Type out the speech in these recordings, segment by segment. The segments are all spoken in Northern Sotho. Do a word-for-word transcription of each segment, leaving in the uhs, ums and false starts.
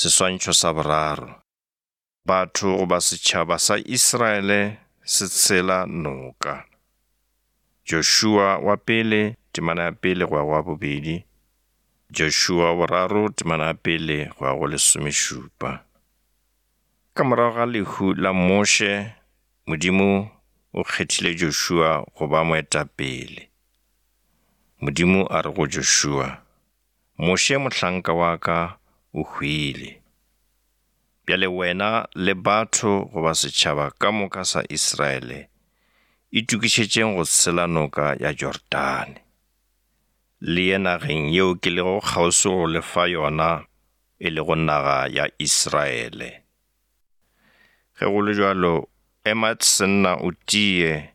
Seswantšho sa boraro. Batho goba setšhaba sa Israele se tshela noka. Joshua wa pele temana ya pele go ya go wa bobedi, Joshua wa boraro temana ya pele go ya go lesomešupa. Ka morago ga lehu la Moshe, Modimo o kgethile Joshua go ba moetapele. Modimo a re go Joshua, Moshe mohlanka wa ka o hwile. Bjale wena le batho goba setšhaba ka moka sa Israele, itokišetšeng go tshela noka ya Jordane. Le ye nageng yeo ke lego kgauswi go le fa yona, e lego naga ya Israele. Ge go le bjalo, ema senna o tie,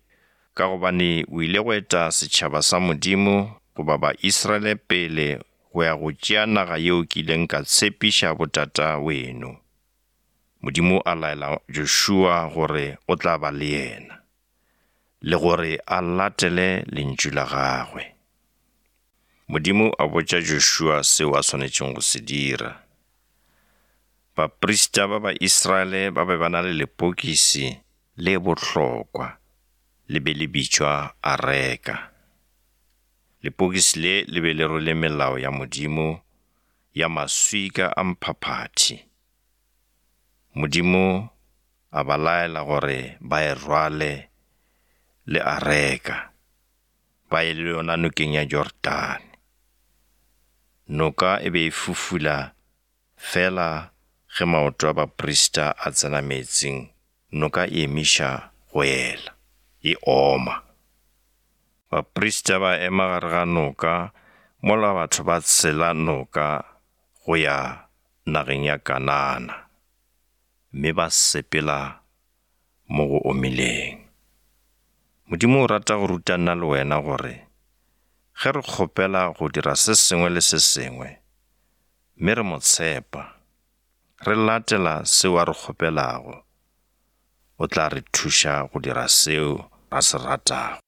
ka gobane o ile go eta setšhaba sa Modimo goba Baisraele pele go ya go tšea naga yeo ke ileng ka tshepiša botata weno. Modimo a laela Joshua gore o tla ba le yena, le gore a latele lentšu la gagwe. Modimo a botša Joshua seo a swanetšego go se dira. Baprista ba Baisraele ba be ba na le lepokisi le bohlokwa, le be le bitšwa Areka. Lepokisi le le be le rwele melao ya Modimo ya maswika a mphaphathi. Modimo a ba laela gore ba e rwale le Areka, ba ye le yona nokeng ya Jordane. Noka e be e fufula fela ge maoto a baprista a tsena meetseng, noka e emiša go ela, e oma. Baprista ba ema gare ga noka mola batho ba tshela noka go ya nageng ya Kanana, mme ba sepela mo go omileng. Modimo o rata go ruta nna le wena gore ge re kgopela go dira se sengwe le se sengwe, mme re mo tshepa, re latela seo a re kgopelago, o tla re thuša go dira seo a se ratago.